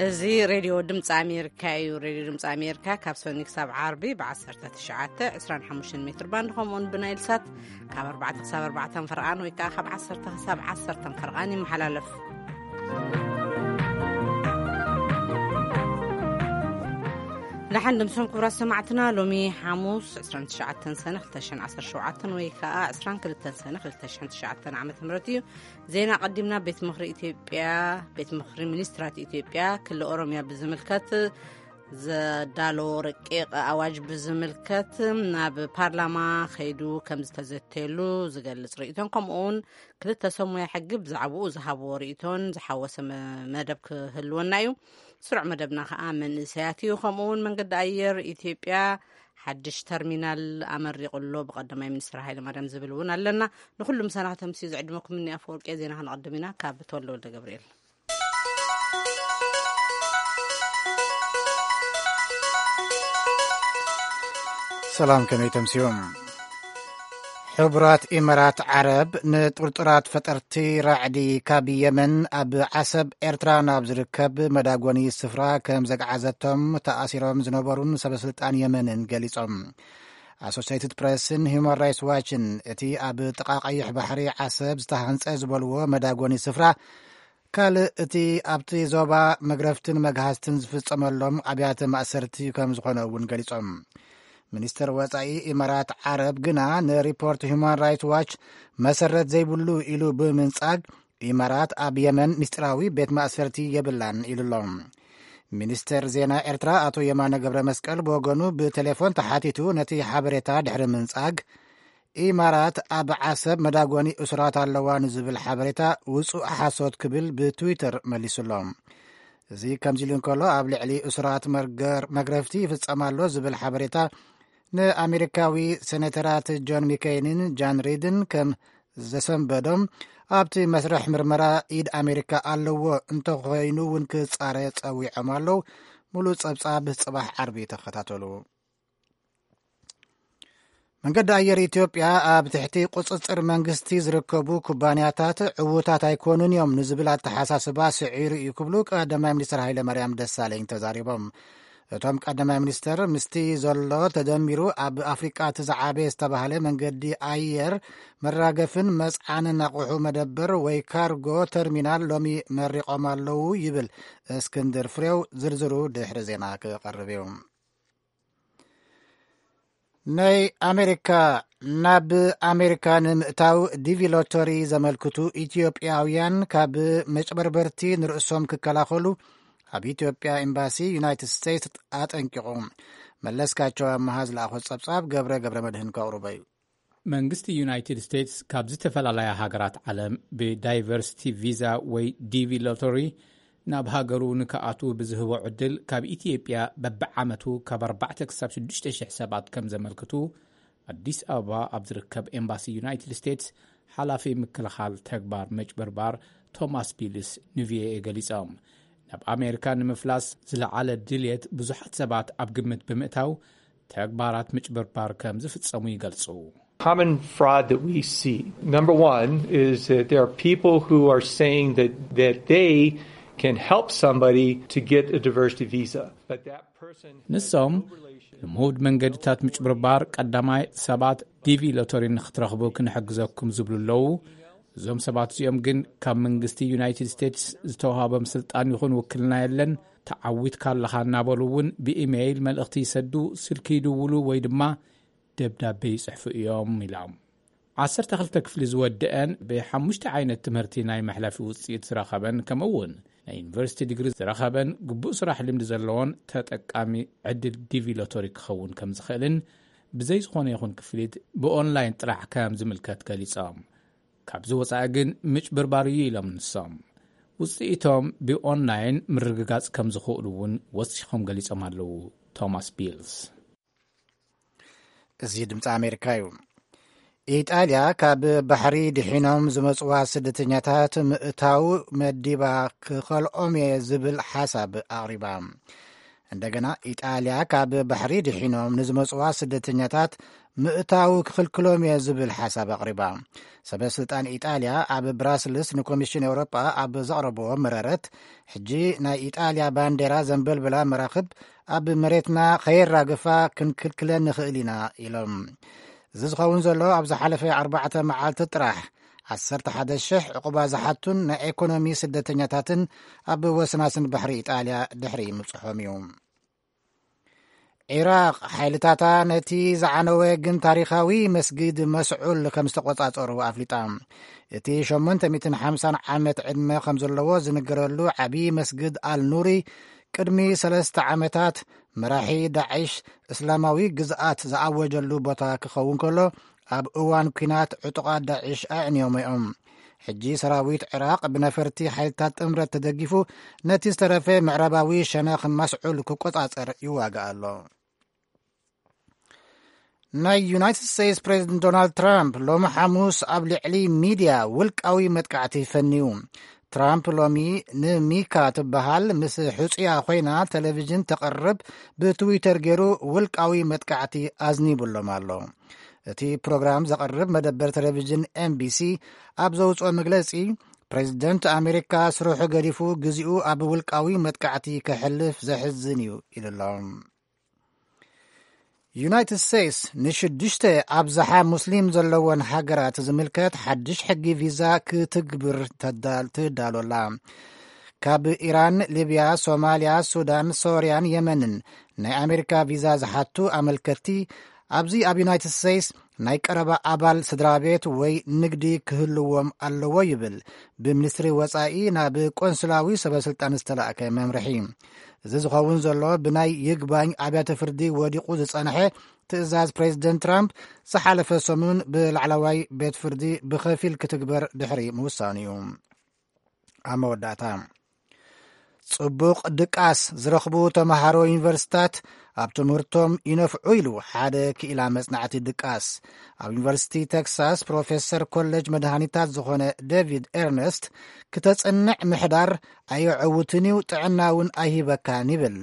እዚ ሬድዮ ድምፂ ኣሜሪካ እዩ። ሬድዮ ድምፂ ኣሜሪካ ካብ ሰኒ ክሳብ ዓርቢ ብ19፣ 25 ሜትር ባንድ፣ ከምኡውን ብናይል ሳት ካብ ኣርባዕተ ክሳብ ኣርባዕተ ፈርቓን ወይ ከዓ ካብ ዓሰርተ ክሳብ ዓሰርተ ፈርቓን ይመሓላለፍ። ደሓን ድምሶም ክቡራት ሰማዕትና፣ ሎሚ ሓሙስ ዕስራን ትሽዓተን ሰነ ክልተ ሽሕን ዓሰርተ ሸውዓተን ወይ ከዓ ዕስራን ክልተን ሰነ ክልተ ሽሕን ትሽዓተን ዓመተ ምህረት እዩ። ዜና ቀዲምና። ቤት ምኽሪ ኢትዮጵያ፣ ቤት ምኽሪ ሚኒስትራት ኢትዮጵያ ክልል ኦሮሚያ ብዝምልከት ዘዳለዎ ረቂቕ ኣዋጅ ብዝምልከት ናብ ፓርላማ ከይዱ ከም ዝተዘተየሉ ዝገልጽ ርእይቶን፣ ከምኡ እውን ክልተ ሰብ ሞያ ሕጊ ብዛዕባኡ ዝሃብዎ ርእይቶን ዝሓወሰ መ-፣ መደብ ክህልወና እዩ። ስሩዕ መደብና ከዓ መንእሰያት እዩ። ከምኡ እውን መንገዲ ኣየር ኢትዮጵያ ሓድሽ ተርሚናል ኣመሪቑ ኣሎ ብቀዳማይ ሚኒስትር ሃይለማርያም ዝብል እውን ኣለና። ንኩሉ ምሳና ከተምስዩ ዝዕድመኩም እኒ ኣፈወርቂ። ዜና ክንቐድም ኢና ካብ ተወልደ ወልደ ገብርኤል። ሰላም፣ ከመይ ተምስዮም? ሕቡራት ኢማራት ዓረብ ንጥርጡራት ፈጠርቲ ራዕዲ ካብ የመን ኣብ ዓሰብ ኤርትራ ናብ ዝርከብ መዳጎኒ ስፍራ ከም ዘግዓዘቶም ተኣሲሮም ዝነበሩን ሰበስልጣን የመንን ገሊጾም። ኣሶሲየትድ ፕሬስን ሂውማን ራይትስ ዋችን እቲ ኣብ ጥቓ ቀይሕ ባሕሪ ዓሰብ ዝተሃንጸ ዝበልዎ መዳጎኒ ስፍራ ካልእ እቲ ኣብቲ ዞባ መግረፍትን መግሃዝትን ዝፍጸመሎም ኣብያተ ማእሰርቲ ከም ዝኾነ እውን ገሊጾም። ሚኒስተር ወጻኢ ኢማራት ዓረብ ግና ንሪፖርት ሁማን ራይትስ ዋች መሰረት ዘይብሉ ኢሉ ብምንጻግ፣ ኢማራት ኣብ የመን ምስጢራዊ ቤት ማእሰርቲ የብላን ኢሉ ኣሎ። ሚኒስተር ዜና ኤርትራ ኣቶ የማነ ገብረ መስቀል ብወገኑ ብቴሌፎን ተሓቲቱ ነቲ ሓበሬታ ድሕሪ ምንጻግ፣ ኢማራት ኣብ ዓሰብ መዳጎኒ እሱራት ኣለዋ ንዝብል ሓበሬታ ውጹእ ሓሶት ክብል ብትዊተር መሊሱ ኣሎ። እዚ ከምዚ ኢሉ እንከሎ፣ ኣብ ልዕሊ እሱራት መርገር-፣ መግረፍቲ ይፍጸም ኣሎ ዝብል ሓበሬታ ንኣሜሪካዊ ሴኔተራት ጆን ሚኬይንን ጃን ሪድን ከም ዘሰንበዶም፣ ኣብቲ መስርሕ ምርመራ ኢድ ኣሜሪካ ኣለዎ እንተኾይኑ እውን ክጻረ ጸዊዖም ኣለዉ። ሙሉእ ጸብጻብ ጽባሕ ዓርቢ ተኸታተሉ። መንገዲ ኣየር ኢትዮጵያ ኣብ ትሕቲ ቁጽጽር መንግስቲ ዝርከቡ ኩባንያታት ዕዉታት ኣይኮኑን እዮም ንዝብል ኣተሓሳስባ ስዒሩ እዩ ክብሉ ቀዳማይ ሚኒስትር ሃይለ ማርያም ደሳለኝ ተዛሪቦም። እቶም ቀዳማይ ሚኒስትር ምስቲ ዘሎ ተደሚሩ ኣብ ኣፍሪቃ እቲ ዝዓበየ ዝተባህለ መንገዲ ኣየር መራገፍን መጽዓንን ኣቑሑ መደበር ወይ ካርጎ ተርሚናል ሎሚ መሪቖም ኣለዉ ይብል እስክንድር ፍሬው። ዝርዝሩ ድሕሪ ዜና ክቐርብ እዩ። ናይ ኣሜሪካ፣ ናብ ኣሜሪካ ንምእታው ዲቪ ሎተሪ ዘመልክቱ ኢትዮጵያውያን ካብ መጭበርበርቲ ንርእሶም ክከላኸሉ ኣብ ኢትዮጵያ ኤምባሲ ዩናይትድ ስቴትስ ኣጠንቂቑ። መለስካቸው ኣመሃ ዝለኣኾ ጸብጻብ ገብረ ገብረ መድህን ከቕርቦ እዩ። መንግስቲ ዩናይትድ ስቴትስ ካብ ዝተፈላለያ ሃገራት ዓለም ብዳይቨርሲቲ ቪዛ ወይ ዲቪ ሎተሪ ናብ ሃገሩ ንክኣትዉ ብዝህቦ ዕድል፣ ካብ ኢትዮጵያ በብዓመቱ ካብ ኣርባዕተ ክሳብ ሽዱሽተ ሽሕ ሰባት ከም ዘመልክቱ ኣዲስ ኣበባ ኣብ ዝርከብ ኤምባሲ ዩናይትድ ስቴትስ ሓላፊ ምክልኻል ተግባር ምጭብርባር ቶማስ ቢልስ ንቪኦኤ ገሊጾም። ናብ ኣሜሪካ ንምፍላስ ዝለዓለ ድልየት ብዙሓት ሰባት ኣብ ግምት ብምእታው፣ ተግባራት ምጭብርባር ከም ዝፍጸሙ ይገልጹ። Common fraud that we see, number one, is that there are people who are saying that, that they can help somebody to get a diversity visa, but that person has ንሶም no relation ልሙድ መንገድታት ምጭብርባር፣ ቀዳማይ ሰባት ዲቪ ሎተሪ ንክትረኽቡ ክንሕግዘኩም ዝብሉ ኣለዉ። እዞም ሰባት እዚኦም ግን ካብ መንግስቲ ዩናይትድ ስቴትስ ዝተዋሃቦም ስልጣን ይኹን ውክልና የለን። ተዓዊትካ ኣለኻ እናበሉ እውን ብኢሜይል መልእኽቲ ይሰዱ፣ ስልኪ ይድውሉ ወይ ድማ ደብዳቤ ይጽሕፉ እዮም ኢሎም። ዓሰርተ ክልተ ክፍሊ ዝወደአን ብሓሙሽተ ዓይነት ትምህርቲ ናይ መሕለፊ ውጽኢት ዝረኸበን፣ ከምኡ እውን ናይ ዩኒቨርሲቲ ዲግሪ ዝረኸበን፣ ግቡእ ስራሕ ልምዲ ዘለዎን ተጠቃሚ ዕድል ዲቪ ሎተሪ ክኸውን ከም ዝኽእልን፣ ብዘይ ዝኾነ ይኹን ክፍሊት ብኦንላይን ጥራሕ ከም ዝምልከት ገሊጾም። ካብዚ ወጻኢ ግን ምጭብርባር እዩ ኢሎም ንሶም። ውጽኢቶም ብኦንላይን ምርግጋጽ ከም ዝኽእሉ እውን ወሲኾም ገሊጾም ኣለዉ ቶማስ ቢልስ። እዚ ድምፂ ኣሜሪካ እዩ። ኢጣልያ ካብ ባሕሪ ድሒኖም ዝመፅዋ ስደተኛታት ምእታው መዲባ ክኸልኦም እየ ዝብል ሓሳብ ኣቕሪባ። እንደገና ኢጣልያ ካብ ባሕሪ ድሒኖም ንዝመጽዋ ስደተኛታት ምእታው ክኽልክሎም እየ ዝብል ሓሳብ ኣቕሪባ። ሰበ ስልጣን ኢጣልያ ኣብ ብራስልስ ንኮሚሽን ኤውሮጳ ኣብ ዘቕረብዎ መረረት፣ ሕጂ ናይ ኢጣልያ ባንዴራ ዘንበልብላ መራኽብ ኣብ መሬትና ከየራግፋ ክንክልክለን ንኽእል ኢና ኢሎም። እዚ ዝኸውን ዘሎ ኣብ ዝሓለፈ ኣርባዕተ መዓልቲ ጥራሕ ዓሰርተ ሓደ ሽሕ ዕቑባ ዝሓቱን ናይ ኤኮኖሚ ስደተኛታትን ኣብ ወሰናስን ባሕሪ ኢጣልያ ድሕሪ ምብጽሖም እዩ። ዒራቕ ሓይልታታ ነቲ ዝዓነወ ግን ታሪኻዊ መስጊድ መስዑል ከም ዝተቖጻጸሩ ኣፍሊጣ። እቲ ሸሞንተ ሚእትን ሓምሳን ዓመት ዕድመ ከም ዘለዎ ዝንገረሉ ዓቢ መስጊድ ኣልኑሪ ቅድሚ ሰለስተ ዓመታት መራሒ ዳዕሽ እስላማዊ ግዝኣት ዝኣወጀሉ ቦታ ክኸውን ከሎ፣ ኣብ እዋን ኲናት ዕጡቓት ዳዕሽ ኣዕንዮም እዮም። ሕጂ ሰራዊት ዒራቕ ብነፈርቲ ሓይልታት ጥምረት ተደጊፉ ነቲ ዝተረፈ ምዕራባዊ ሸነኽ መስዑል ክቆጻጸር ይዋጋእ ኣሎ። ናይ ዩናይትድ ስቴትስ ፕሬዚደንት ዶናልድ ትራምፕ ሎሚ ሓሙስ ኣብ ልዕሊ ሚድያ ውልቃዊ መጥቃዕቲ ፈንዩ። ትራምፕ ሎሚ ንሚካ ትበሃል ምስ ሕጹያ ኮይና ቴሌቪዥን ተቕርብ ብትዊተር ገይሩ ውልቃዊ መጥቃዕቲ ኣዝኒቡሎም ኣሎ። እቲ ፕሮግራም ዘቕርብ መደበር ቴሌቪዥን ኤምቢሲ ኣብ ዘውፅኦ መግለፂ፣ ፕሬዚደንት ኣሜሪካ ስርሑ ገዲፉ ግዚኡ ኣብ ውልቃዊ መጥቃዕቲ ከሕልፍ ዘሕዝን እዩ ኢሉ ኣሎ። ዩናይትድ ስቴትስ ንሽዱሽተ ኣብዝሓ ሙስሊም ዘለወን ሃገራት ዝምልከት ሓድሽ ሕጊ ቪዛ ክትግብር ተዳል- ትዳሎላ። ካብ ኢራን፣ ሊብያ፣ ሶማልያ፣ ሱዳን፣ ሶርያን የመንን ናይ ኣሜሪካ ቪዛ ዝሓቱ ኣመልከትቲ ኣብዚ ኣብ ዩናይትድ ስቴትስ ናይ ቀረባ ኣባል ስድራ ቤት ወይ ንግዲ ክህልዎም ኣለዎ ይብል ብሚኒስትሪ ወጻኢ ናብ ቆንስላዊ ሰበስልጣን ዝተላእከ መምርሒ። እዚ ዝኸውን ዘሎ ብናይ ይግባኝ ኣብያተ ፍርዲ ወዲቑ ዝጸንሐ ትእዛዝ ፕሬዚደንት ትራምፕ ዝሓለፈ ሰሙን ብላዕለዋይ ቤት ፍርዲ ብኸፊል ክትግበር ድሕሪ ምውሳኑ እዩ። ኣብ መወዳእታ፣ ጽቡቕ ድቃስ ዝረኽቡ ተምሃሮ ዩኒቨርሲታት ኣብ ትምህርቶም ይነፍዑ ኢሉ ሓደ ክኢላ መጽናዕቲ ድቃስ ኣብ ዩኒቨርሲቲ ቴክሳስ ፕሮፌሰር ኮሌጅ መድሃኒታት ዝኾነ ዴቪድ ኤርነስት፣ ክተጽንዕ ምሕዳር ኣየዐውትን እዩ፣ ጥዕና እውን ኣይህበካን ይብል።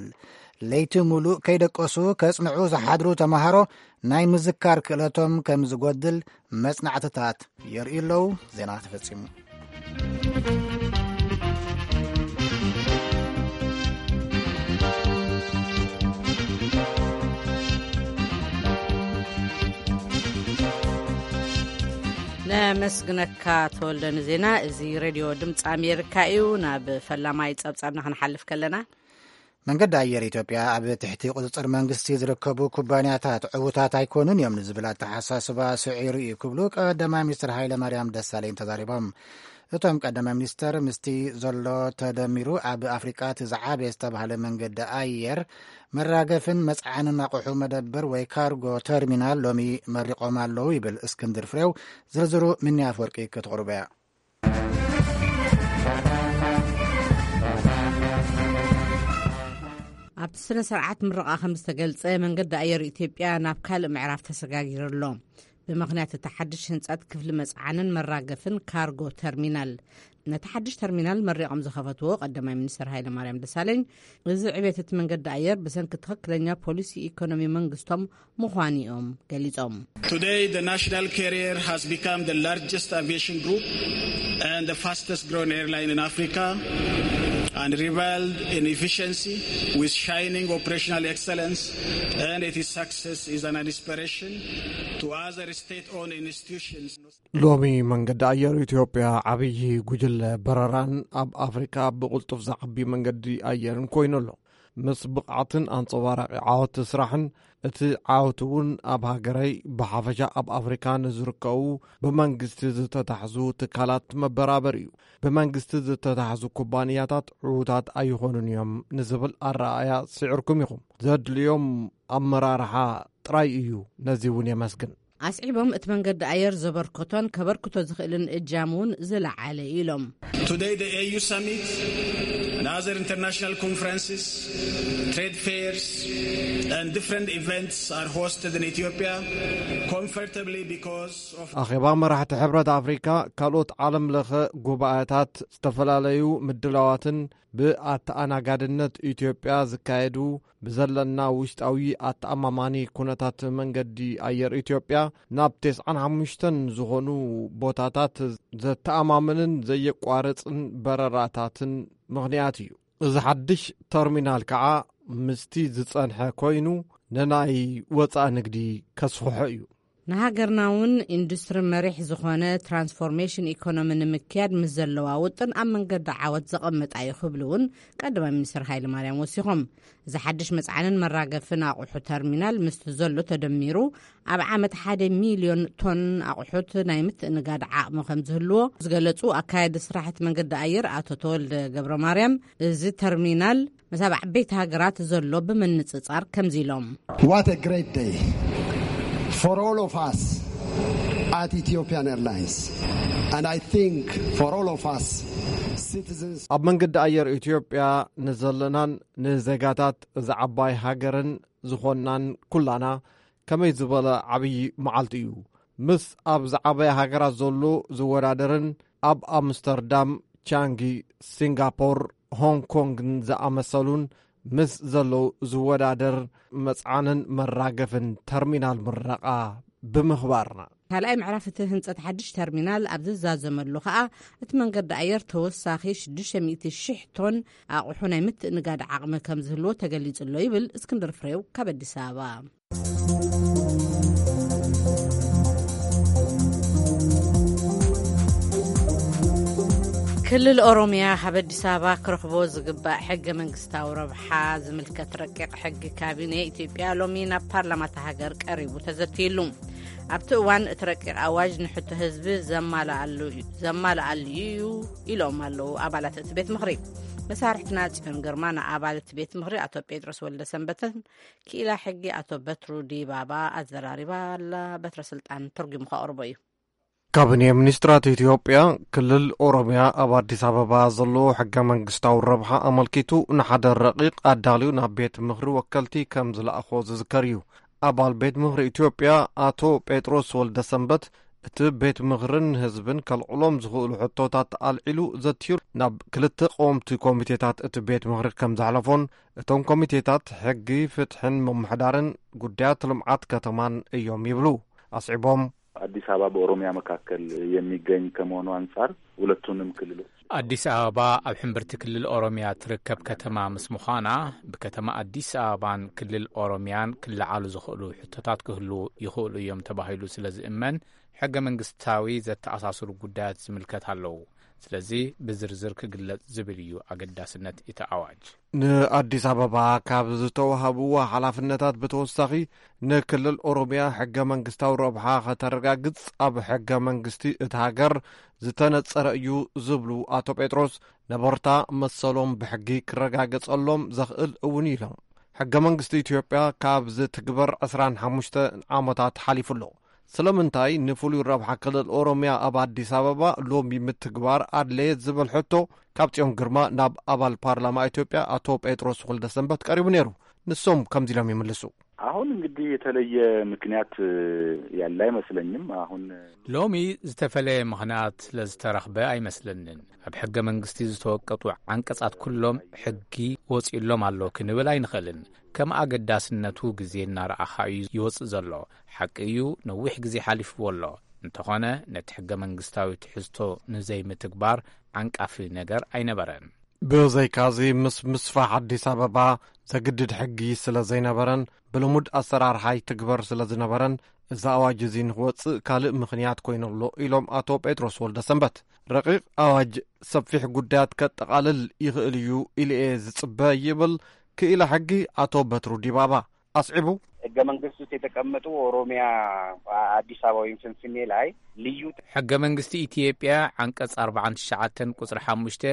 ለይቲ ሙሉእ ከይደቀሱ ከጽንዑ ዝሓድሩ ተምሃሮ ናይ ምዝካር ክእለቶም ከም ዝጎድል መጽናዕትታት የርእዩ ኣለዉ። ዜና ተፈጺሙ። ነመስግነካ ተወልደ ንዜና። እዚ ሬድዮ ድምፂ ኣሜሪካ እዩ። ናብ ፈላማይ ጸብጻብና ክንሓልፍ ከለና፣ መንገዲ ኣየር ኢትዮጵያ ኣብ ትሕቲ ቁጽጽር መንግስቲ ዝርከቡ ኩባንያታት ዕዉታት ኣይኮኑን እዮም ንዝብል ኣተሓሳስባ ስዒሩ እዩ ክብሉ ቀዳማይ ሚኒስትር ሃይለ ማርያም ደሳለኝ ተዛሪቦም። እቶም ቀዳማይ ሚኒስትር ምስቲ ዘሎ ተደሚሩ ኣብ ኣፍሪቃ እቲ ዝዓበየ ዝተባህለ መንገዲ ኣየር መራገፍን መጽዓንን ኣቑሑ መደብር ወይ ካርጎ ተርሚናል ሎሚ መሪቖም ኣለዉ ይብል እስክንድር ፍሬው። ዝርዝሩ ምንያ ኣፈወርቂ ክትቕርቦ እያ። ኣብቲ ስነ ስርዓት ምረቓ ከም ዝተገልጸ፣ መንገዲ ኣየር ኢትዮጵያ ናብ ካልእ ምዕራፍ ተሰጋጊሩ ኣሎ። ብምኽንያት እቲ ሓድሽ ህንጸት ክፍሊ መጽዓንን መራገፍን ካርጎ ተርሚናል፣ ነቲ ሓድሽ ተርሚናል መሪቖም ዝኸፈትዎ ቀዳማይ ሚኒስትር ሃይለ ማርያም ደሳለኝ፣ እዚ ዕቤት እቲ መንገዲ ኣየር ብሰንኪ ትኽክለኛ ፖሊሲ ኢኮኖሚ መንግስቶም ምዃኑ እዮም ገሊጾም። Today, the national carrier has become the largest aviation group and the fastest growing airline in Africa, and reveled in efficiency with shining operational excellence, and its success is an inspiration to other state-owned institutions. ሎሚ መንገዲ ኣየር ኢትዮጵያ ዓብዪ ጉጅለ በረራን ኣብ ኣፍሪካ ብቕልጡፍ ዝዓቢ መንገዲ ኣየርን ኮይኑ ኣሎ። ምስ ብቕዓትን ኣንጸባራቒ ዓወት ስራሕን፣ እቲ ዓወት እውን ኣብ ሃገረይ፣ ብሓፈሻ ኣብ ኣፍሪካ ንዝርከቡ ብመንግስቲ ዝተታሕዙ ትካላት መበራበር እዩ። ብመንግስቲ ዝተታሕዙ ኩባንያታት ዕዉታት ኣይኾኑን እዮም ንዝብል ኣረኣእያ ስዒርኩም ኢኹም። ዘድልዮም ኣመራርሓ ጥራይ እዩ። ነዚ እውን የመስግን። ኣስዒቦም፣ እቲ መንገዲ ኣየር ዘበርከቶን ከበርክቶ ዝኽእልን እጃም እውን ዝለዓለ ኢሎም። Today, the A U Summit and other international conferences, trade fairs, and different events are hosted in Ethiopia comfortably because of ኣኼባ መራሕቲ ሕብረት ኣፍሪካ፣ ካልኦት ዓለም ለኸ ጉባኤታት፣ ዝተፈላለዩ ምድላዋትን ብኣተኣናጋድነት ኢትዮጵያ ዝካየዱ፣ ብዘለና ውሽጣዊ ኣተኣማማኒ ኩነታት መንገዲ ኣየር ኢትዮጵያ ናብ ተስዓን ሓሙሽተን ዝኾኑ ቦታታት ዘተኣማምንን ዘየቋርጽን በረራታትን ምኽንያት እዩ። እዚ ሓድሽ ተርሚናል ከዓ ምስቲ ዝጸንሐ ኮይኑ፣ ንናይ ወጻኢ ንግዲ ከስፍሖ እዩ። ንሃገርና እውን ኢንዱስትሪ መሪሕ ዝኾነ ትራንስፎርሜሽን ኢኮኖሚ ንምክያድ ምስ ዘለዋ ውጥን ኣብ መንገዲ ዓወት ዘቐምጣ እዩ ክብሉ እውን ቀዳማይ ሚኒስትር ሃይለ ማርያም ወሲኾም። እዚ ሓድሽ መጽዓንን መራገፍን ኣቑሑ ተርሚናል ምስቲ ዘሎ ተደሚሩ ኣብ ዓመት ሓደ ሚልዮን ቶን ኣቑሑት ናይ ምትእንጋድ ዓቕሚ ከም ዝህልዎ ዝገለጹ ኣካያዲ ስራሕቲ መንገዲ ኣየር ኣቶ ተወልደ ገብረ ማርያም፣ እዚ ተርሚናል ምስ ኣብ ዓበይቲ ሃገራት ዘሎ ብምንጽጻር ከምዚ ኢሎም። What a great day for all of us at Ethiopian Airlines, and I think for all of us citizens. ኣብ መንገዲ ኣየር ኢትዮጵያ ንዘለናን ንዜጋታት እዚ ዓባይ ሃገርን ዝኾንናን ኩላና ከመይ ዝበለ ዓብዪ መዓልቲ እዩ። ምስ ኣብ ዝዓበያ ሃገራት ዘሎ ዝወዳደርን ኣብ ኣምስተርዳም፣ ቻንጊ፣ ሲንጋፖር፣ ሆንግ ኮንግን ዝኣመሰሉን ምስ ዘሎ ዝወዳደር መጽዓንን መራገፍን ተርሚናል ምረቓ ብምኽባርና። ካልኣይ ምዕራፍ እቲ ህንጸት ሓድሽ ተርሚናል ኣብ ዝዛዘመሉ ከኣ፣ እቲ መንገዲ ኣየር ተወሳኺ ሽዱሽተ ሚእቲ ሽሕ ቶን ኣቑሑ ናይ ምትእንጋድ ዓቕሚ ከም ዝህልዎ ተገሊጹ ኣሎ ይብል እስክንድር ፍሬው ካብ ኣዲስ ኣበባ። ክልል ኦሮምያ ካብ ኣዲስ ኣበባ ክረኽቦ ዝግባእ ሕገ መንግስታዊ ረብሓ ዝምልከት ረቂቕ ሕጊ ካቢኔ ኢትዮጵያ ሎሚ ናብ ፓርላማ እታ ሃገር ቀሪቡ ተዘትይሉ። ኣብቲ እዋን እቲ ረቂቕ ኣዋጅ ንሕቶ ህዝቢ ዘማልኣሉ እዩ፣ ዘማልኣሉ እዩ ኢሎም ኣለዉ ኣባላት እቲ ቤት ምኽሪ። መሳርሕትና ጽዮን ግርማ ንኣባል እቲ ቤት ምኽሪ ኣቶ ጴጥሮስ ወልደ ሰንበተን ክኢላ ሕጊ ኣቶ በትሩ ዲባባ ኣዘራሪባ ኣላ። በትረ ስልጣን ተርጒሙ ከቕርቦ እዩ። ካቢኔ ሚኒስትራት ኢትዮጵያ ክልል ኦሮምያ ኣብ ኣዲስ ኣበባ ዘለዎ ሕገ መንግስታዊ ረብሓ ኣመልኪቱ ንሓደ ረቂቕ ኣዳልዩ ናብ ቤት ምኽሪ ወከልቲ ከም ዝለኣኾ ዝዝከር እዩ። ኣባል ቤት ምኽሪ ኢትዮጵያ ኣቶ ጴጥሮስ ወልደ ሰንበት እቲ ቤት ምኽርን ህዝብን ከልዕሎም ዝኽእሉ ሕቶታት ኣልዒሉ ዘትዩ ናብ ክልተ ቀወምቲ ኮሚቴታት እቲ ቤት ምኽሪ ከም ዘሕለፎን እቶም ኮሚቴታት ሕጊ፣ ፍትሕን ምምሕዳርን ጉዳያት ልምዓት ከተማን እዮም ይብሉ። ኣስዒቦም አዲስ አበባ በኦሮሚያ መካከል የሚገኝ ከመሆኑ አንጻር ሁለቱንም ክልሎች አዲስ አበባ ኣብ ሕምብርቲ ክልል ኦሮሚያ ትርከብ ከተማ ምስ ምዃና ብከተማ ኣዲስ ኣበባን ክልል ኦሮሚያን ክለዓሉ ዝኽእሉ ሕቶታት ክህሉ ይኽእሉ እዮም ተባሂሉ ስለ ዝእመን ሕገ መንግስታዊ ዘተኣሳስሩ ጉዳያት ዝምልከት ኣለዉ። ስለዚ ብዝርዝር ክግለጽ ዝብል እዩ ኣገዳስነት እቲ ኣዋጅ። ንኣዲስ ኣበባ ካብ ዝተዋህብዋ ሓላፍነታት ብተወሳኺ ንክልል ኦሮምያ ሕገ መንግስታዊ ረብሓ ከተረጋግጽ ኣብ ሕገ መንግስቲ እቲ ሃገር ዝተነጸረ እዩ ዝብሉ ኣቶ ጴጥሮስ ነበርታ መሰሎም ብሕጊ ክረጋገጸሎም ዘኽእል እውን ኢሎም። ሕገ መንግስቲ ኢትዮጵያ ካብ ዝትግበር ዕስራን ሓሙሽተ ዓመታት ሓሊፉ ኣሎ። ስለምንታይ ንፍሉይ ረብሓ ክልል ኦሮምያ ኣብ ኣዲስ ኣበባ ሎሚ ምትግባር ኣድለየ ዝብል ሕቶ ካብ ጽዮን ግርማ ናብ ኣባል ፓርላማ ኢትዮጵያ ኣቶ ጴጥሮስ ወልደሰንበት ቀሪቡ ነይሩ። ንሶም ከምዚ ኢሎም ይምልሱ። አሁን እንግዲህ የተለየ ምክንያት ያለ አይመስለኝም። አሁን ሎሚ ዝተፈለየ ምኽንያት ስለዝተረኽበ ኣይመስለንን። ኣብ ሕገ መንግስቲ ዝተወቀጡ ዓንቀጻት ኩሎም ሕጊ ወጺእሎም ኣሎ ክንብል ኣይንኽእልን። ከም ኣገዳስነቱ ግዜ እናረኣኻ እዩ ይወጽእ ዘሎ። ሓቂ እዩ፣ ነዊሕ ግዜ ሓሊፍዎ ኣሎ። እንተኾነ ነቲ ሕገ መንግስታዊ ትሕዝቶ ንዘይምትግባር ዓንቃፊ ነገር ኣይነበረን። ብዘይካዚ ምስ ምስፋሕ ኣዲስ ኣበባ ዘግድድ ሕጊ ስለ ዘይነበረን ብልሙድ ኣሰራርሓ ይትግበር ስለ ዝነበረን እዚ ኣዋጅ እዚ ንክወፅእ ካልእ ምኽንያት ኮይኑ ኣሎ ኢሎም ኣቶ ጴጥሮስ ወልደሰንበት። ረቂቕ ኣዋጅ ሰፊሕ ጉዳያት ከጠቓልል ይኽእል እዩ ኢሉ እየ ዝፅበ ይብል ክኢላ ሕጊ ኣቶ በትሩ ዲባባ ኣስዒቡ። ሕገ መንግስት ውስጥ የተቀመጡ ኦሮሚያ፣ አዲስ አበባ ወይም ፍንፍኔ ላይ ልዩ ሕገ መንግስቲ ኢትዮጵያ ዓንቀጽ ኣርባዓን ትሽዓተን ቁጽሪ ሓሙሽተ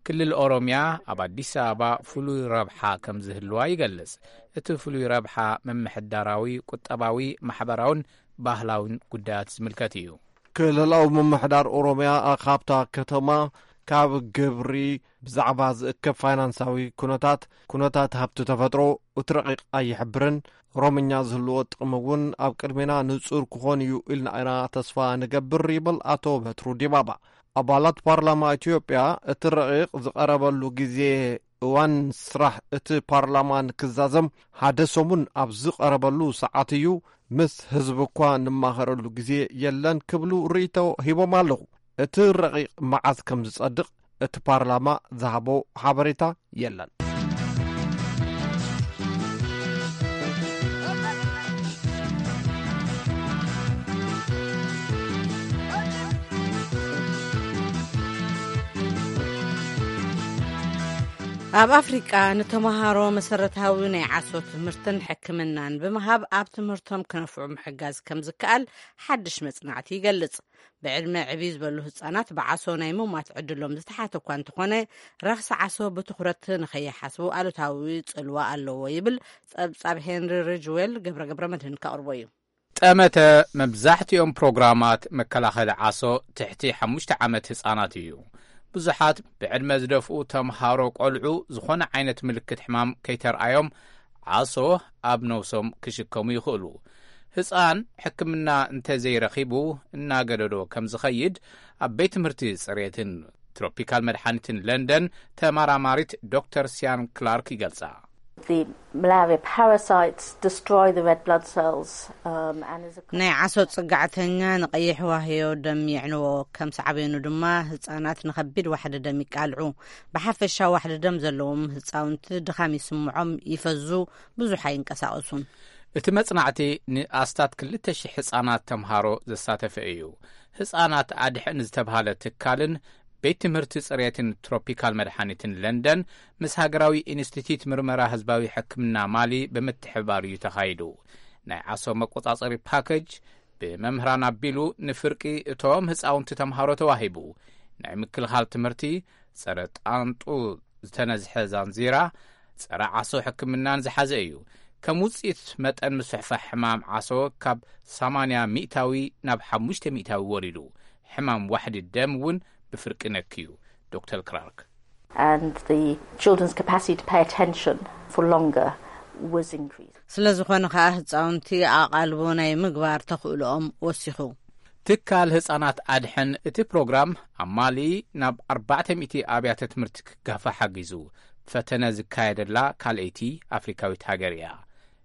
ክልል ኦሮሚያ ኣብ ኣዲስ ኣበባ ፍሉይ ረብሓ ከም ዝህልዋ ይገልጽ። እቲ ፍሉይ ረብሓ ምምሕዳራዊ፣ ቁጠባዊ፣ ማሕበራውን ባህላውን ጉዳያት ዝምልከት እዩ። ክልላዊ ምምሕዳር ኦሮምያ ካብታ ከተማ ካብ ግብሪ ብዛዕባ ዝእከብ ፋይናንሳዊ ኩነታት፣ ኩነታት ሃብቲ ተፈጥሮ እቲ ረቂቕ ኣይሕብርን። ኦሮምኛ ዝህልዎ ጥቕሚ እውን ኣብ ቅድሜና ንጹር ክኾን እዩ ኢልና ኢና ተስፋ ንገብር ይብል ኣቶ በትሩ ዲባባ። ኣባላት ፓርላማ ኢትዮጵያ እቲ ረቂቕ ዝቐረበሉ ግዜ እዋን ስራሕ እቲ ፓርላማ ንክዛዘም ሓደ ሰሙን ኣብ ዝቐረበሉ ሰዓት እዩ። ምስ ህዝቢ እኳ ንማኸረሉ ግዜ የለን ክብሉ ርእይቶ ሂቦም ኣለዉ። እቲ ረቂቕ መዓዝ ከም ዝጸድቕ እቲ ፓርላማ ዝሃቦ ሓበሬታ የለን። ኣብ ኣፍሪቃ ንተምሃሮ መሰረታዊ ናይ ዓሶ ትምህርትን ሕክምናን ብምሃብ ኣብ ትምህርቶም ክነፍዑ ምሕጋዝ ከም ዝከኣል ሓድሽ መጽናዕቲ ይገልጽ። ብዕድመ ዕብይ ዝበሉ ህጻናት ብዓሶ ናይ ምሟት ዕድሎም ዝተሓተ እኳ እንተኾነ፣ ረኽሲ ዓሶ ብትኹረት ንኸይሓስቡ ኣሉታዊ ጽልዋ ኣለዎ ይብል ጸብጻብ ሄንሪ ሪጅዌል። ገብረ ገብረ መድህን ከቕርቦ እዩ። ጠመተ መብዛሕትኦም ፕሮግራማት መከላኸሊ ዓሶ ትሕቲ ሓሙሽተ ዓመት ህጻናት እዩ። ብዙሓት ብዕድመ ዝደፍኡ ተምሃሮ ቆልዑ ዝኾነ ዓይነት ምልክት ሕማም ከይተርኣዮም ዓሶ ኣብ ነብሶም ክሽከሙ ይኽእሉ። ህጻን ሕክምና እንተዘይረኺቡ እናገደዶ ከም ዝኸይድ ኣብ ቤት ትምህርቲ ጽሬትን ትሮፒካል መድሓኒትን ለንደን ተመራማሪት ዶክተር ሲያን ክላርክ ይገልጻ። The malaria parasites destroy the red blood cells, um, and is a ናይ ዓሶ ጽጋዕተኛ ንቐይሕ ዋህዮ ደም የዕንዎ፣ ከም ሳዕቤኑ ድማ ህጻናት ንኸቢድ ዋሕዲ ደም ይቃልዑ። ብሓፈሻ ዋሕዲ ደም ዘለዎም ህጻውንቲ ድኻም ይስምዖም፣ ይፈዙ፣ ብዙሕ ኣይንቀሳቐሱን። እቲ መጽናዕቲ ንኣስታት ክልተ ሽሕ ህጻናት ተምሃሮ ዘሳተፈ እዩ። ህጻናት ኣድሕን ዝተብሃለ ትካልን ቤት ትምህርቲ ጽሬትን ትሮፒካል መድሓኒትን ለንደን ምስ ሃገራዊ ኢንስቲትዩት ምርመራ ህዝባዊ ሕክምና ማሊ ብምትሕብባር እዩ ተኻይዱ። ናይ ዓሶ መቆጻጸሪ ፓኬጅ ብመምህራን ኣቢሉ ንፍርቂ እቶም ህጻውንቲ ተምሃሮ ተዋሂቡ። ናይ ምክልኻል ትምህርቲ፣ ጸረ ጣንጡ ዝተነዝሐ ዛንዚራ፣ ጸረ ዓሶ ሕክምናን ዝሓዘ እዩ። ከም ውጽኢት መጠን ምስሕፋሕ ሕማም ዓሶ ካብ ሰማንያ ሚእታዊ ናብ ሓሙሽተ ሚእታዊ ወሪዱ። ሕማም ዋሕዲ ደም እውን ብፍርቂ ነክዩ። ዶክተር ክላርክ። And the children's capacity to pay attention for longer was increased. ስለ ዝኾነ ከኣ ህጻውንቲ ኣቓልቦ ናይ ምግባር ተኽእሎኦም ወሲኹ። ትካል ህጻናት ኣድሕን እቲ ፕሮግራም ኣብ ማሊ ናብ ኣርባዕተ ሚእቲ ኣብያተ ትምህርቲ ክጋፋ ሓጊዙ። ፈተነ ዝካየደላ ካልኣይቲ ኣፍሪካዊት ሃገር እያ።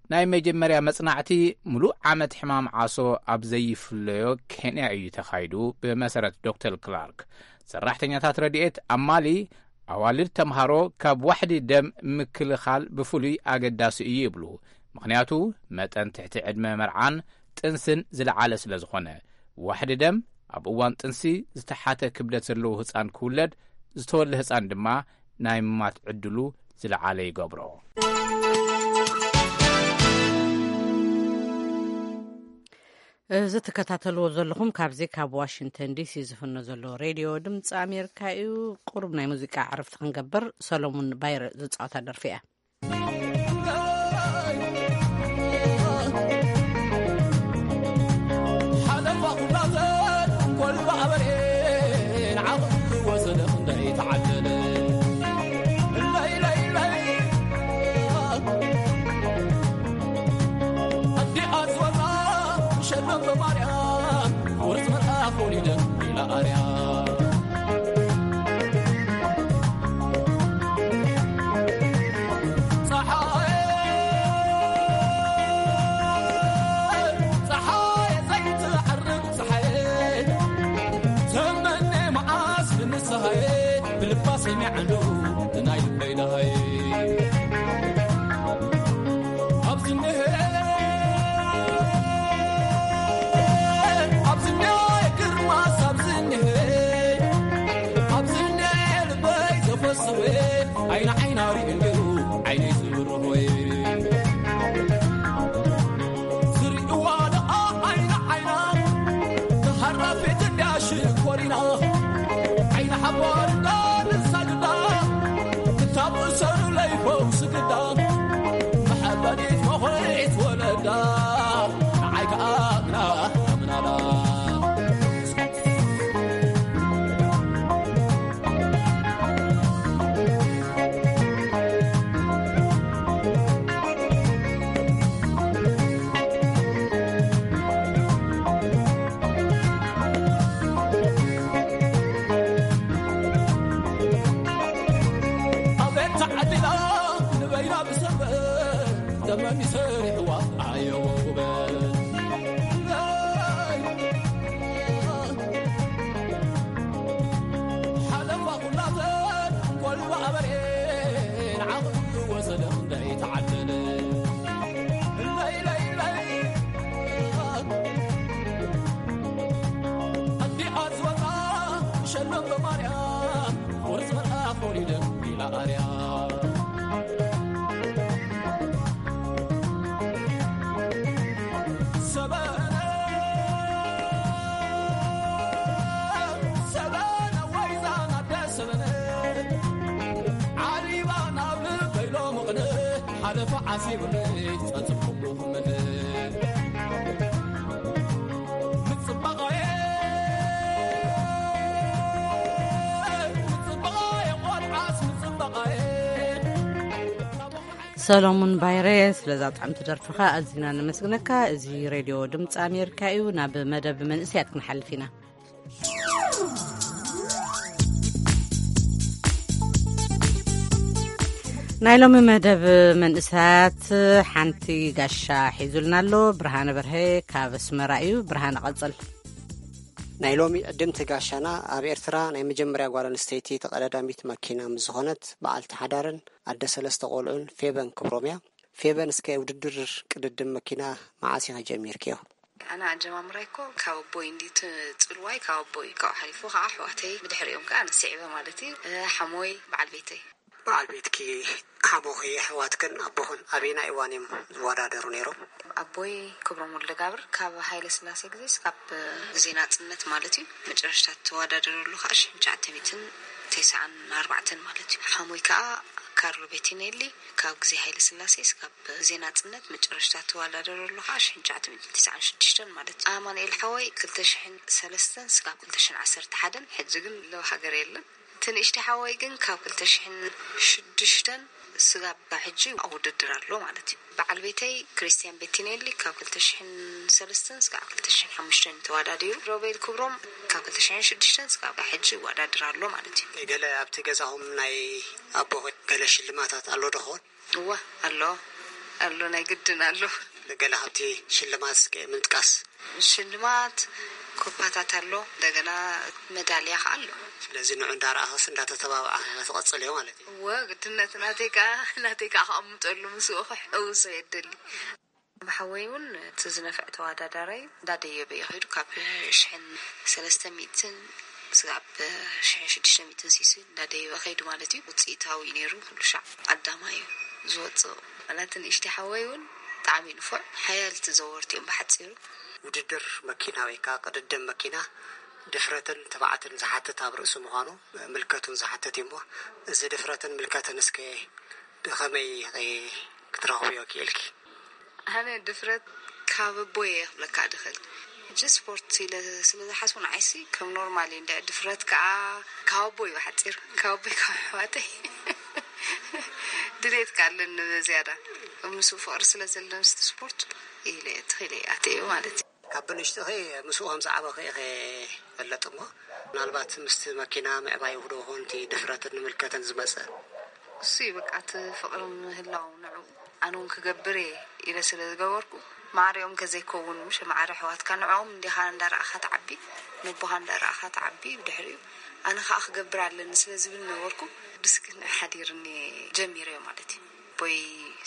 ናይ መጀመርያ መጽናዕቲ፣ ምሉእ ዓመት ሕማም ዓሶ ኣብ ዘይፍለዮ ኬንያ እዩ ተኻይዱ። ብመሰረት ዶክተር ክላርክ፣ ሰራሕተኛታት ረድኤት ኣብ ማሊ ኣዋልድ ተምሃሮ ካብ ዋሕዲ ደም ምክልኻል ብፍሉይ ኣገዳሲ እዩ ይብሉ። ምኽንያቱ፣ መጠን ትሕቲ ዕድመ መርዓን ጥንስን ዝለዓለ ስለ ዝኾነ። ዋሕዲ ደም ኣብ እዋን ጥንሲ ዝተሓተ ክብደት ዘለዎ ህጻን ክውለድ፣ ዝተወልደ ህጻን ድማ ናይ ምማት ዕድሉ ዝለዓለ ይገብሮ። እዚ ትከታተልዎ ዘለኹም ካብዚ ካብ ዋሽንግተን ዲሲ ዝፍኖ ዘሎ ሬድዮ ድምፂ ኣሜሪካ እዩ። ቁሩብ ናይ ሙዚቃ ዕረፍቲ ክንገብር፣ ሰሎሙን ባይረ ዝፃወታ ደርፊ እያ። ሓለፋ ኩላተን ኮልባ ኣበሬን ዓቕሊ ወሰደ ክንደይ ተዓደለ። ለይ ለይ ለይ ኣዲኣ ዝበላ ሸለም በማርያም ውርስ መልኣኽ ወሊደ ኢላ ኣርያ። ፀሓየ፣ ፀሓየ ዘይትዓርብ ፀሓየ፣ ተመነ መዓስ ንስሃየ፣ ብልባ ሰሚዐሉ ናይ ልበይ ደሃየ። ኣብዚ እኒሀ፣ ኣብዚ እኒሀ ግርማስ፣ ኣብዚ እኒሀ፣ ኣብዚ እኒሀ ልበይ ዘፈስወ፣ ዓይኒ ዓይና ርእዩ ነይሩ ዓይነይ ዝብርሆይ። ዝርእይዋ ደኣ ዓይኒ ዓይና፣ ተሃራፊት እንድያ ሽኮሪና። ዓይኒ ሓባር እንዳ ንሳግዳ፣ ክታብ እሰሩ ለይፈውስ ግዳ። መሐበኒት መኹሪት ወለዳ፣ ንዓይ ከኣ ምና ዘመን ይሰርሕዋ ኣየወ ውበት። ሓለፋ ኩላተን ኮልባ ኣበሬን ዓቕሉ ወሰደ ክንደይ ተዓደለ። ለይ ለይ ለይ ኣዲኣ ዝወጣ ሸለም በማርያም ወርዝ መልኣኽ ወሊደ ኢላ ኣርያ። ሰበነ፣ ሰበነ፣ ወይዛ ናደ ሰበነ፣ ዓሊባ ናብ ልበይ ሎምቕነ፣ ሓለፋ ዓሲቡኒ ጸጽብኩ ክምነ። ምጽባቐየ፣ ምጽባቐየ፣ ቆልዓስ ምጽባቐየ። ሰሎሙን ባይረ፣ ስለዛ ጥዕምቲ ደርፍኻ ኣዚና ነመስግነካ። እዚ ሬድዮ ድምፂ ኣሜሪካ እዩ። ናብ መደብ መንእሰያት ክንሓልፍ ኢና። ናይ ሎሚ መደብ መንእሰያት ሓንቲ ጋሻ ሒዙልና ኣሎ። ብርሃነ በርሀ ካብ ኣስመራ እዩ። ብርሃነ፣ ቀጽል። ናይ ሎሚ ዕድምቲ ጋሻና ኣብ ኤርትራ ናይ መጀመርያ ጓል ኣንስተይቲ ተቐዳዳሚት መኪና ምስ ዝኾነት በዓልቲ ሓዳርን ኣደ ሰለስተ ቆልዑን ፌበን ክብሮም እያ። ፌበን፣ እስከ ውድድር ቅድድም መኪና መዓስ ኢኺ ጀሚርክዮ? ኣነ ኣጀማምራይ እኮ ካብ ኣቦይ እንዲ እቲ ጽልዋይ ካብ ኣቦይ፣ ካብኡ ሓሊፉ ከዓ ኣሕዋተይ፣ ብድሕሪኦም ከዓ ኣነ ስዒበ ማለት እዩ። እ፣ ሓሞይ፣ በዓል ቤተይ። በዓል ቤትኪ፣ ሓሞኺ፣ ኣሕዋትክን ኣቦኽን ኣበየናይ እዋን እዮም ዝወዳደሩ ነይሮም? ኣቦይ ክብሮም ወልደጋብር ካብ ሃይለ ስላሴ ግዜ እስካብ ግዜ ናጽነት ማለት እዩ። መጨረሽታ ተወዳደረሉ ከዓ ሽሕን ትሽዓተ ሚእትን ተስዓን ኣርባዕተን ማለት እዩ። ሓሞይ ከዓ ካርሎ ቤቲኔሊ ካብ ግዜ ሃይለ ስላሴ እስካብ ግዜ ናጽነት፣ መጨረሽታ ተወዳደረሉ ከዓ ሽሕን ትሽዓተ ሚእትን ተስዓን ሽዱሽተን ማለት እዩ። ኣማኑኤል ሓወይ ክልተ ሽሕን ሰለስተን እስካብ ክልተ ሽሕን ዓሰርተ ሓደን፣ ሕጂ ግን ለብ ሃገር የለን። እቲ ንእሽቲ ሓወይ ግን ካብ ክልተ ሽሕን ሽዱሽተን ስጋብ ሕጂ ኣብ ውድድር ኣሎ ማለት እዩ። በዓል ቤተይ ክርስቲያን ቤቲኔሊ ካብ ክልተ ሽሕን ሰለስተን ስጋብ ክልተ ሽሕን ሓሙሽተን ተወዳዲሩ። ሮቤል ክብሮም ካብ ክልተ ሽሕን ሽዱሽተን ስጋብ ሕጂ ይወዳድር ኣሎ ማለት እዩ። ገለ ኣብቲ ገዛኹም ናይ ኣቦ ገለ ሽልማታት ኣሎ ዶ ኸውን? እወ፣ ኣሎ፣ ኣሎ፣ ናይ ግድን ኣሎ። ገለ ካብቲ ሽልማት እስከ ምጥቃስ። ሽልማት ኮፓታት ኣሎ፣ እንደገና መዳልያ ከኣ ኣሎ። ስለዚ ንዑ እንዳረኣኻስ እንዳተተባባዕኻ ኢኻ ትቐጽልዮ ማለት እዩ። እወ፣ ግድነት ናተይ ከኣ፣ ናተይ ከኣ ከቐምጠሉ ምስኡ ክሕውሶ የደሊ። ብሓወይ እውን እቲ ዝነፍዕ ተወዳዳራይ እንዳደየበ እዩ ከይዱ። ካብ ሽሕን ሰለስተ ሚእትን ስጋብ ሽሕን ሽዱሽተ ሚእትን ሲሲ እንዳደየበ ከይዱ ማለት እዩ። ውፅኢታዊ እዩ ነይሩ። ኩሉ ሻዕ ቀዳማይ እዩ ዝወፅእ። ዋላ እቲ ንእሽተይ ሓወይ እውን ብጣዕሚ ንፉዕ፣ ሓያልቲ ዘወርቲ እዮም ብሓፂሩ። ውድድር መኪና ወይ ከዓ ቅድድም መኪና ድፍረትን ትብዓትን ዝሓትት ኣብ ርእሲ ምዃኑ ምልከቱን ዝሓትት እዩ እሞ፣ እዚ ድፍረትን ምልከትን እስከ ብኸመይ ኢኺ ክትረኽብዮ ክኢልኪ? ኣነ ድፍረት ካብ ኣቦይ እየ ክብለካ ድኽእል። ሕጂ ስፖርት ኢለ ስለ ዝሓስቡ ንዓይሲ ከም ኖርማል እዩ። እንድዒ ድፍረት ከኣ ካብ ኣቦይ ብሓጺር፣ ካብ ኣቦይ ካብ ኣሕዋተይ ድሌት ከኣ ኣለኒ ዝያዳ። ምስኡ ፍቕሪ ስለ ዘለኒ ምስቲ ስፖርት ኢለ እየ ትኽኢለ እየ ኣትየ ማለት እዩ። ካብ ብንእሽቶኺ ምስኡ ከም ዝዓበኺ ኢኺ ይፈልጥ እሞ፣ ምናልባት ምስቲ መኪና ምዕባይ ውህዶ ኾንቲ ድፍረትን ምልከትን ዝመጸ? እሱ እዩ በቃ እቲ ፍቕሪ ምህላው ንዕኡ። ኣነ እውን ክገብር እየ ኢለ ስለ ዝገበርኩ፣ ማዕሪኦም ከዘይከውን፣ ምሽ ማዕረ ኣሕዋትካ ንዕኦም እንዲኻ እንዳረኣኻ ትዓቢ፣ ነቦኻ እንዳረኣኻ ትዓቢ። ብድሕሪኡ ኣነ ኸኣ ክገብር ኣለኒ ስለ ዝብል ነበርኩ። ብስክን ሓዲርኒ ጀሚረዮ ማለት እዩ። ኣቦይ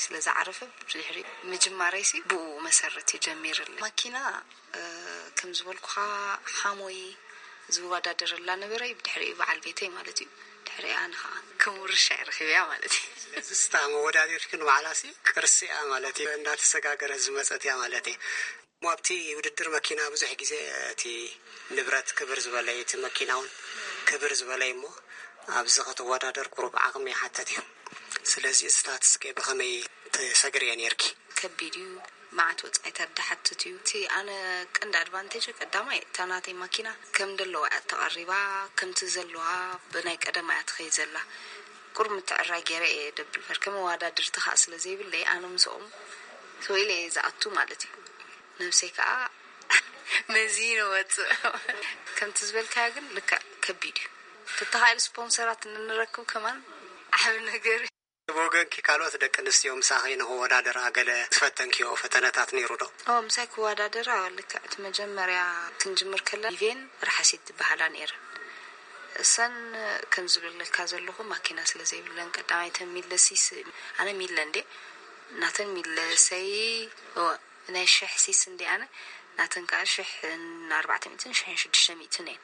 ስለ ዝዓረፈ ብድሕሪኡ ምጅማረይሲ ብኡ መሰረት እዩ ጀሚርለይ። ማኪና፣ እ፣ ከም ዝበልኩኻ ሓሞይ ዝወዳደረላ ነበረይ፣ ብድሕሪኡ በዓል ቤተይ ማለት እዩ። ድሕሪኣ ኣነ ኸኣ ከም ውርሻ እየ ረኺበያ ማለት እዩ። ስለዚ ስታ መወዳደሪት ግን ባዕላሲ ቅርሲ እያ ማለት እዩ። እንዳተሰጋገረት ዝመጸት እያ ማለት እዩ። እሞ ኣብቲ ውድድር መኪና ብዙሕ ግዜ እቲ ንብረት ክብር ዝበለ እዩ፣ እቲ መኪና እውን ክብር ዝበለ እዩ። እሞ ኣብዚ ከተወዳደር ቁሩብ ዓቕሚ ይሓተት እዩ። ስለዚ ስታትስከ ብኸመይ ተሰግርዮ ነይርኪ? ከቢድ እዩ። መዓት ወጻኢታት ዝሓትት እዩ። እቲ ኣነ ቀንዲ ኣድቫንቴጅ ቀዳማይ እታ ናተይ ማኪና ከም ደለዋ እያ ተቐሪባ፣ ከምቲ ዘለዋ ብናይ ቀደማ እያ ትኸይድ ዘላ። ቁሩብ ምትዕራይ ገይረ እየ ደብል እምበር፣ ከም መወዳድርቲ ከኣ ስለ ዘይብለይ ኣነ ምስኦም ተወኢለ እየ ዝኣቱ ማለት እዩ። ነብሰይ ከኣ መዚነ ወጽእ። ከምቲ ዝበልካዮ ግን ልክዕ ከቢድ እዩ። ተተኻኢሉ ስፖንሰራት እንረክብ ከማን ዓቢ ነገር እዩ። ብወገንኪ ካልኦት ደቂ ኣንስትዮ ምሳኺ ንክወዳደራ ገለ ዝፈተንክዮ ፈተነታት ነይሩ ዶ? ኦ፣ ምሳይ ክወዳደራ ልክዕ እቲ መጀመርያ ክንጅምር ከለና ኢቬን ርሓሲት ዝበሃላ ነይረን። እሰን ከም ዝብለካ ዘለኹ ማኪና ስለ ዘይብለን ቀዳማይ ተን ሚለሲስ፣ ኣነ ሚለ እንዴ፣ ናተን ሚለሰይ፣ ኦ፣ ናይ ሽሕ ሲስ እንዴ ኣነ፣ ናተን ከዓ ሽሕን ኣርባዕተ ሚእትን ሽሕን ሽዱሽተ ሚእትን እየን።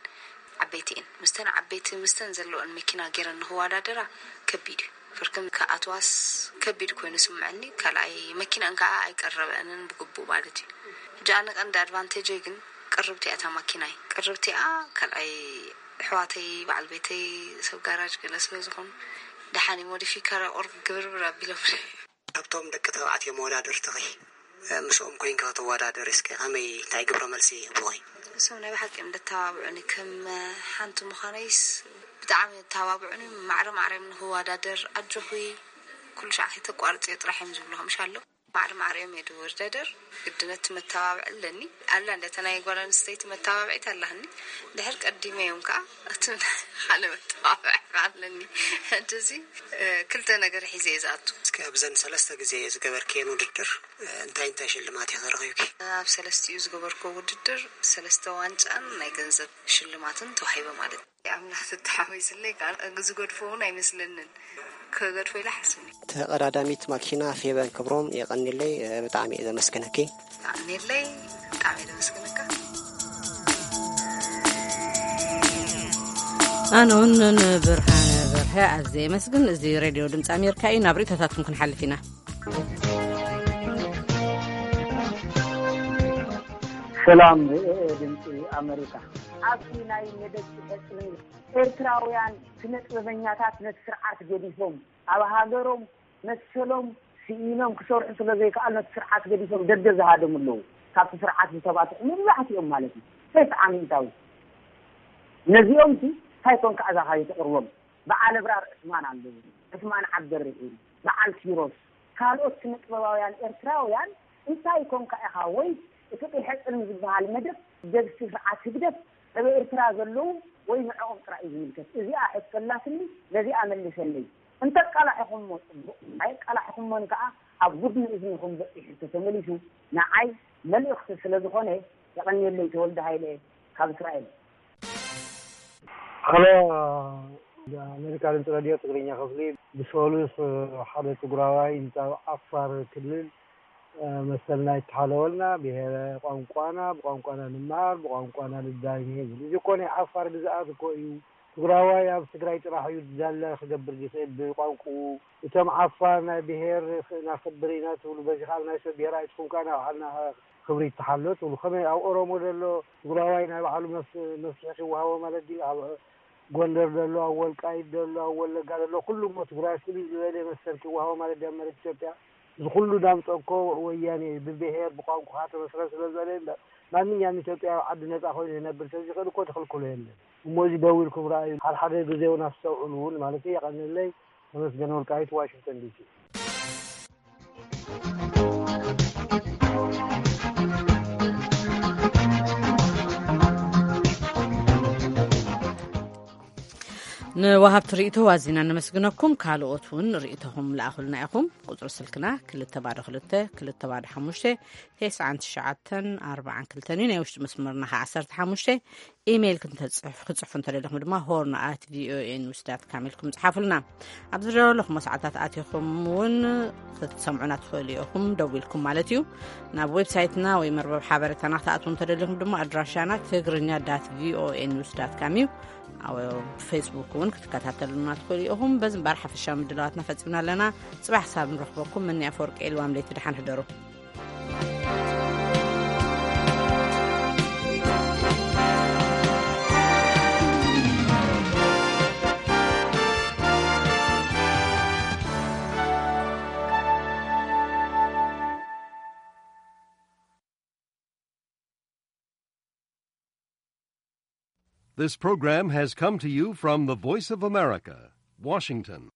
ዓበይቲ እየን። ምስተን ዓበይቲ ምስተን ዘለወን መኪና ገይረን ንክወዳደራ ከቢድ እዩ። ፍርክን ክኣትዋስ ከቢድ ኮይኑ ስምዐኒ። ካልኣይ መኪናን ከዓ ኣይቀረበንን ብግቡእ ማለት እዩ። ሕጂ ኣነ ቀንዲ ኣድቫንቴጀይ ግን ቅርብቲ እያ እታ ማኪናይ። ቅርብቲ እያ። ካልኣይ ኣሕዋተይ፣ በዓል ቤተይ፣ ሰብ ጋራጅ ገለ ስለ ዝኾኑ ደሓን እዩ ሞዲፊካ ቁርብ ግብርብር ኣቢሎም። ካብቶም ደቂ ተባዕትዮ መወዳድርትኺ፣ እ፣ ምስኦም ኮይንኪ ክትወዳደሪ እስከ ከመይ፣ እንታይ ግብረ መልሲ ይህብኺ? እሶም ናይ ብሓቂ እዮም ዘተባብዑኒ። ከም፣ እ፣ ሓንቲ ምዃነይስ ብጣዕሚ የተባብዑኒ። ማዕረ ማዕረ እዮም ንክወዳደር፣ ኣጆኺ፣ ኩሉ ሻዕ ከይተቋርፅዮ ጥራሕ እዮም ዝብሉ። ከምሻ ኣሎ ማዕረ ማዕረ እዮም የድወዳደር። ግድነት መተባብዒ ኣለኒ። ኣላ እንደ ተናይ ጓል ኣንስተይቲ መተባብዒት ኣላህኒ። ድሕር ቀዲመ እዮም ከዓ እቲ ሓደ መተባብዒ ኣለኒ። ሕጂ እዚ፣ እ፣ ክልተ ነገር ሒዘ እየ ዝኣቱ። እስኪ ኣብዘን ሰለስተ ግዜ ዝገበርክየን ውድድር፣ እ፣ እንታይ እንታይ ሽልማት ኢኺ ረኺብኪ? ኣብ ሰለስቲኡ ዝገበርኩ ውድድር ሰለስተ ዋንጫን ናይ ገንዘብ ሽልማትን ተዋሂበ ማለት እዩ። ኣምላኽ ተተሓዊስለይ ከዓ ዝገድፎ እውን ኣይመስለንን። ክገድፎ ኢለ ሓስብኒ። ተቐዳዳሚት ማኪና ፌበን ክብሮም የቐኒለይ፣ እ፣ ብጣዕሚ እየ ዘመስግነኪ። የቐኒለይ፣ ብጣዕሚ እየ ዘመስግነካ። ኣነ እውን ንብርሃን በርሀ ኣዝየ የመስግን። እዚ ሬድዮ ድምፂ ኣሜሪካ እዩ። ናብ ርእይቶታትኩም ክንሓልፍ ኢና። ሰላም፣ እ፣ ድምፂ ኣሜሪካ። ኣብቲ ናይ መደብ ሕፅኒ ኤርትራውያን ስነ ጥበበኛታት ነቲ ስርዓት ገዲፎም ኣብ ሃገሮም መሰሎም ስኢኖም ክሰርሑ ስለ ዘይከኣሉ ነቲ ስርዓት ገዲፎም ደገ ዝሃደሙ ኣለዉ። ካብቲ ስርዓት ዝተባትሑ መብዛሕትኦም ማለት እዩ። ሰይፍ ዓሚንታዊ ነዚኦም ሲ እንታይ ኮንካ እዛ ካዩ ተቕርቦም? በዓል ኣብራር ዕስማን ኣለዉ፣ ዕስማን ዓብደርሒም፣ በዓል ኪሮስ፣ ካልኦት ስነ ጥበባውያን ኤርትራውያን እንታይ ኮንካ ኢኻ? ወይ እቲ ቂሐ ጽልሚ ዝበሃል መደብ ደብሲ ስርዓት ህግደፍ ኣብ ኤርትራ ዘለዉ ወይ ንዕኦም ጥራይ እዩ ዝምልከት? እዚኣ ሕቶ ኣላትኒ፣ ነዚኣ መልሰለይ። እንተቃላሕኹሞ ጽቡቕ፣ ኣይቃላሕኹሞን ከኣ ኣብ ጉድኒ እዝንኹም በጺሑ ተተመሊሱ ንዓይ መልእኽቲ ስለ ዝኾነ የቐንየለይ። ተወልደ ሃይለ ካብ እስራኤል። ሀሎ፣ ኣሜሪካ ድምፂ ሬድዮ ትግርኛ ክፍሊ። ብሰሉስ ሓደ ትግራዋይ እንታ ዓፋር ክልል መሰልና ይተሓለወልና፣ ብሄረ ቋንቋና፣ ብቋንቋና ንመሃር፣ ብቋንቋና ንዳይ ይብል። እዚ እኮ ናይ ዓፋር ግዝኣት እኮ እዩ። ትግራዋይ ኣብ ትግራይ ጥራሕ እዩ ዳላ ክገብር ዝኽእል ብቋንቋኡ። እቶም ዓፋር ናይ ብሄር ክናኽብር ኢና ትብሉ፣ በዚ ካብ ናይ ሰብ ብሄር ኣይትኹም ከኣ ናብ ዓልና ክብሪ ይተሓሎ ትብሉ። ከመይ ኣብ ኦሮሞ ዘሎ ትግራዋይ ናይ ባዕሉ መፍ-፣ መፍትሒ ክወሃቦ ማለት ድዩ? ኣብ ጎንደር ዘሎ፣ ኣብ ወልቃይት ዘሎ፣ ኣብ ወለጋ ዘሎ፣ ኩሉ እሞ ትግራይ ፍሉይ ዝበለ መሰል ክወሃቦ ማለት ድዩ ኣብ መሬት ኢትዮጵያ? እዚ ኩሉ ዳምፀ እኮ ወያኔ እዩ። ብብሄር ብቋንቋ ተመስረት ስለ ዝበለ እምበር ማንኛውም ኢትዮጵያዊ ዓዲ ነፃ ኮይኑ ክነብር ተዝኽእል እኮ ተኽልክሎ የለን። እሞ እዚ ደው ኢልኩም ረኣዩ። ሓደ ሓደ ግዜ እውን ኣስተውዕሉ እውን ማለት እዩ። የቐንለይ። ተመስገን ወልቃይት፣ ዋሽንግተን ዲሲ። ንወሃብቲ ርእይቶ ዋዚና ነመስግነኩም። ካልኦት እውን ርእይቶኹም ለኣኹልና ኢኹም። ቁጽሪ ስልክና ክልተ ባዶ ክልተ፣ ክልተ ባዶ ሓሙሽተ፣ ተስዓን ትሽዓተን ኣርባዓን ክልተን እዩ። ናይ ውሽጢ መስመርና ኸዓ ዓሰርተ ሓሙሽተ። ኢሜይል ክንተጽሕፍ-፣ ክጽሕፉ እንተደለኹም ድማ ሆርን ኣት ቪኦኤ ኒውስ ዳት ካም ኢልኩም ጽሓፉልና። ኣብዚ ዘለኹሞ ሰዓታት ኣቲኹም እውን ክትሰምዑና ትኽእሉ ኢኹም፣ ደዊልኩም ማለት እዩ። ናብ ዌብሳይትና ወይ መርበብ ሓበሬታና ክትኣትዉ እንተደሊኹም ድማ ኣድራሻና ትግርኛ ዳት ቪኦኤ ኒውስ ዳት ካም እዩ። ኣብ ፌስቡክ እውን ክትከታተሉና ትኽእሉ ኢኹም። በዚ እምበኣር ሓፈሻዊ ምድላዋትና ፈጺምና ኣለና። ጽባሕ ክሳብ ንረኽበኩም፣ መኒ ኣፈወርቂ ኢልዋም ለይቲ፣ ደሓን ሕደሩ። This program has come to you from the Voice of America, Washington.